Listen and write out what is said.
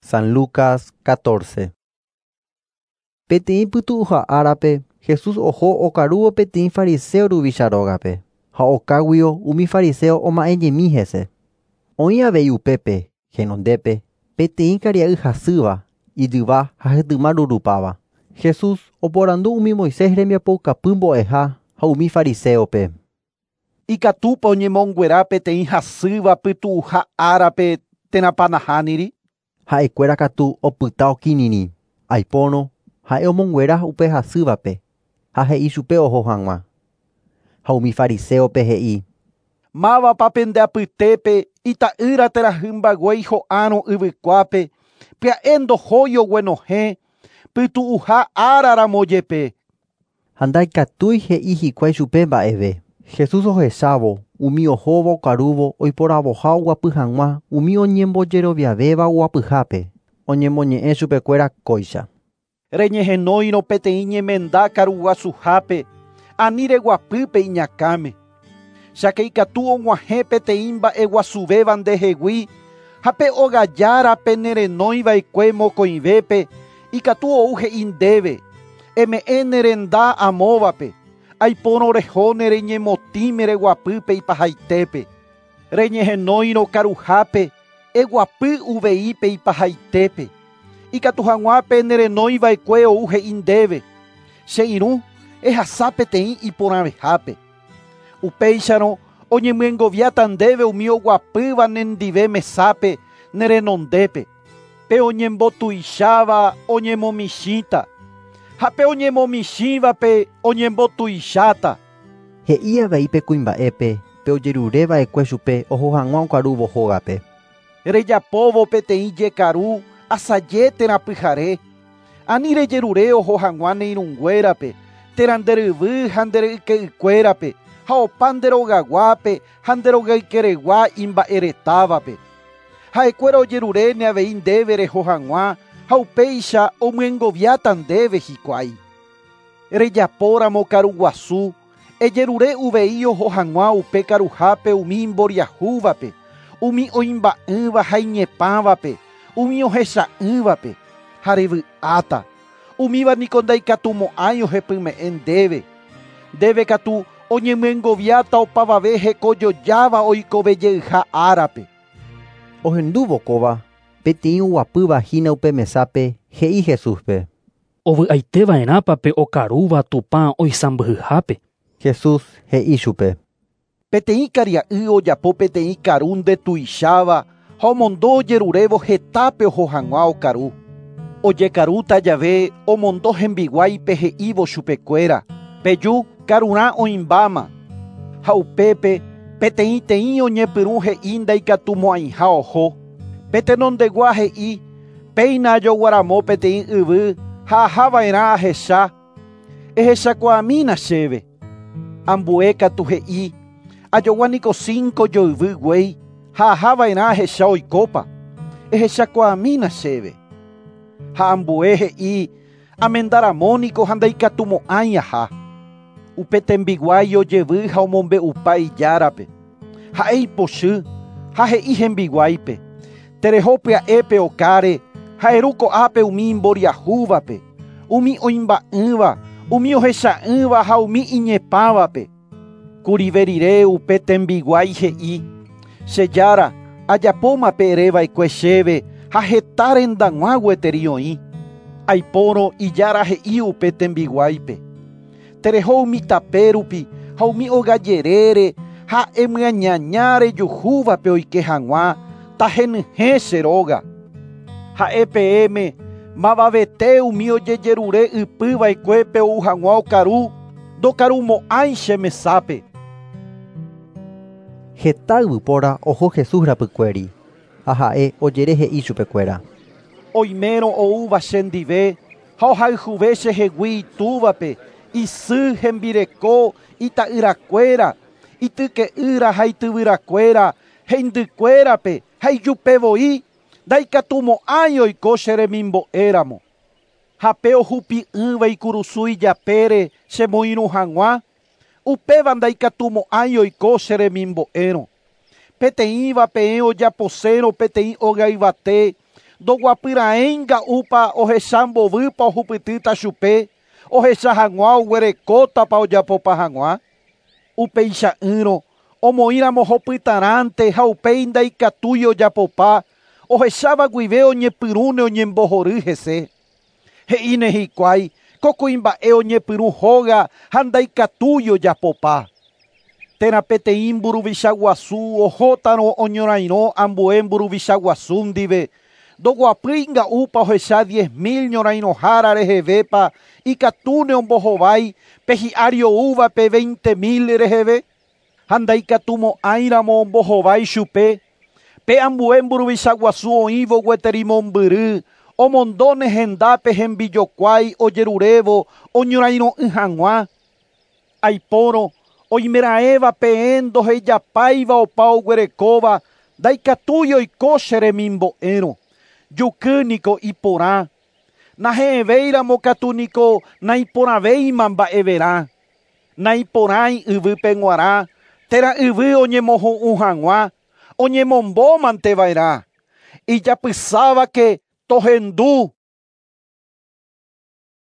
San Lucas 14. Peteĩ pytu'uha árape Jesús oho okarúvo peteĩ fariseo ruvicha rógape, ha okáguio umi fariseo oma'ẽjemi hese. Oĩ avei upépe, henondépe, peteĩ karia'y hasýva, ijyva ha hetyma rurupáva. Jesús oporandu umi Moisés rembiapoukapy mbo'eha ha umi fariseope. Ikatúpa oñemonguera peteĩ hasýva pytu'uha árape térãpa nahániri. Ha'ekuéra katu opyta okirirĩ, aipórõ ha'e omonguera upe hasývape ha he'i chupe oho hag̃ua. Ha umi fariseope he'i: Mávapa pende apytépe ita'ýra térã hymba guéi ho'árõ yvykuápe, pya'e ndohói oguenohẽ, pytu'uha áraramo jepe. Ha ndaikatúi he'i hikuái chupe mba'eve. Jesús ohechávo umi ohóva okarúvo oiporavoha oguapy hag̃ua umi oñembojeroviavéva oguapyhápe, oñemoñe'ẽ chupekuéra kóicha. Reñehenóirõ peteĩ ñemenda karuguasuhápe, ani reguapýpe iñakãme. Cháke ikatu og̃uahẽ peteĩ mba'eguasuvéva ndehegui ha pe ogajárape nerenóiva'ekue mokõivépe ikatu ou he'i ndéve, eme'ẽ nerenda amóvape, aipórõ reho nereñemotĩme reguapýpe ipahaitépe. Reñehenóirõ karuhápe, eguapy uveípe ipahaitépe. Ikatu hag̃uápe nerenóiva'ekue ou he'i ndéve, che irũ ehasa peteĩ iporãvehápe. Upéicharõ oñemyengoviáta ndéve umi oguapýva nendive mesápe nerenondépe. Pe oñembotuicháva oñemomichĩta ha pe oñemomichĩvape oñembotuicháta. He'i avei pe kuimba'épe pe ojerureva'ekue chupe oho hag̃ua okarúvo hógape. Rejapóvo peteĩ jekaru asaje térã pyhare, ani rejerure oho hag̃ua ne irũnguérape, térã nderyvy ha nderyke'ykuérape, ha opa nderogaguápe ha nderogaykeregua imba'eretávape. Ha'ekuéra ojeruréne avei ndéve reho hag̃ua ha upéicha omyengoviáta ndéve hikuái. Rejapóramo karuguasu, ejerure uvei oho hag̃ua upe karuhápe umi imboriahúvape, umi oimba'ỹva ha iñepãvape, umi ohecha'ỹvape, ha revy'áta. Umíva niko ndaikatumo'ãi ohepyme'ẽ ndéve. Ndéve katu oñemyengoviáta opavave hekojojáva oikovejeyha árape. Ohendúvo kóva, peteĩ oguapýva hína upe mesápe he'i Jesúspe. Ovy'aiteva'erãpa pe okarúva Tupã oisãmbyhyhápe. Jesús he'i chupe. Peteĩ karia'y ojapo peteĩ karu ndetuicháva ha omondo ojerurévo hetápe oho hag̃ua okaru. Ojekarúta jave omondo hembiguáipe he'ívo chupekuéra, peju karurã oĩmbáma. Ha upépe peteĩteĩ oñepyrũ he'i ndaikatumo'ãiha oho. Pe tenondegua he'i péina ajoguaramo peteĩ yvy ha ahava'erã ahecha, ehechakuaamína chéve. Ambue katu he'i ajoguániko 5 joyvy guéi ha ahava'erã ahecha oikópa, ehechakuaamína chéve. Ha ambue he'i amendaramóniko ha ndaikatumo'ãi aha. Upe tembiguái ojevy ha omombe'upa ijárape. Ha'e ipochy ha he'i hembiguáipe. Tereho pya'épe okáre ha eru ko'ápe umi imboriahúvape, umi oimba'ỹva, umi ohecha'ỹva ha umi iñepãvape. Kurive rire upe tembiguái he'i, che jára, ajapóma pe ereva'ekue chéve ha heta rendag̃ua gueteri oĩ. Aipórõ ijára he'i upe tembiguáipe. Tereho umi tapérupi ha umi ogajerére ha emyañaña rejuhúvape oike hag̃ua tahenyhẽ che róga. Ha'e peẽme mavavete umi ojejerure ypýva'ekuépe ou hag̃ua okaru, ndokarumo'ãi che mesápe. Heta yvypóra oho Jesús rapykuéri ha ha'e ojere he'i chupekuéra. Oimérõ oúva chendive ha ohayhuve chehegui itúvape, isy hembireko, ita'yrakuéra, ityke'ýra ha ityvyrakuéra, heindykuérape ha ijupevoi, ndaikatumo'ãi oiko che remimbo'éramo. Ha pe ohupi'ỹva ikurusu ijapére chemoirũ hag̃ua, upéva ndaikatumo'ãi oiko che remimbo'érõ. Peteĩva peẽ ojaposérõ peteĩ ogayvate, Ndoguapyraẽi nga'úpa ohecha mbovýpa ohupytýta chupe, ohecha hag̃ua oguerekótapa ojapopa hag̃ua. Upeicha'ỹrõ omoĩramo hopytarãnte ha upéi ndaikatúi ojapopa, ohecháva guive oñepyrũne oñembohory hese. He'íne hikuái ko kuimba'e oñepyrũ hóga ha ndaikatúi ojapopa. Térã peteĩ mburuvicha guasu ohótarõ oñorairõ ambue mburuvicha guasu ndive, ndoguapýi nga'úpa ohecha 10 000 ñorairõhára rehevépa ikatúne ombohovái pe hi'ári oúvape 20 000 reheve, ha ndaikatumo'ãiramo ombohovái chupe, pe ambue mburuvicha guasu oĩvo gueteri mombyry, omondóne hendápe hembijokuái ojerurévo oñorairõ'ỹ hag̃ua. Aipórõ oimeraẽva peẽ ndohejapáiva opa oguerekóva ndaikatúi oiko che remimbo'érõ. Juky niko iporã. Nahe'ẽvéiramo katu niko naiporãvéima mba'everã. Naiporãi yvýpe g̃uarã térã yvy oñemohu'ũ hag̃ua, oñemombómanteva'erã. Ijapysávake tohendu.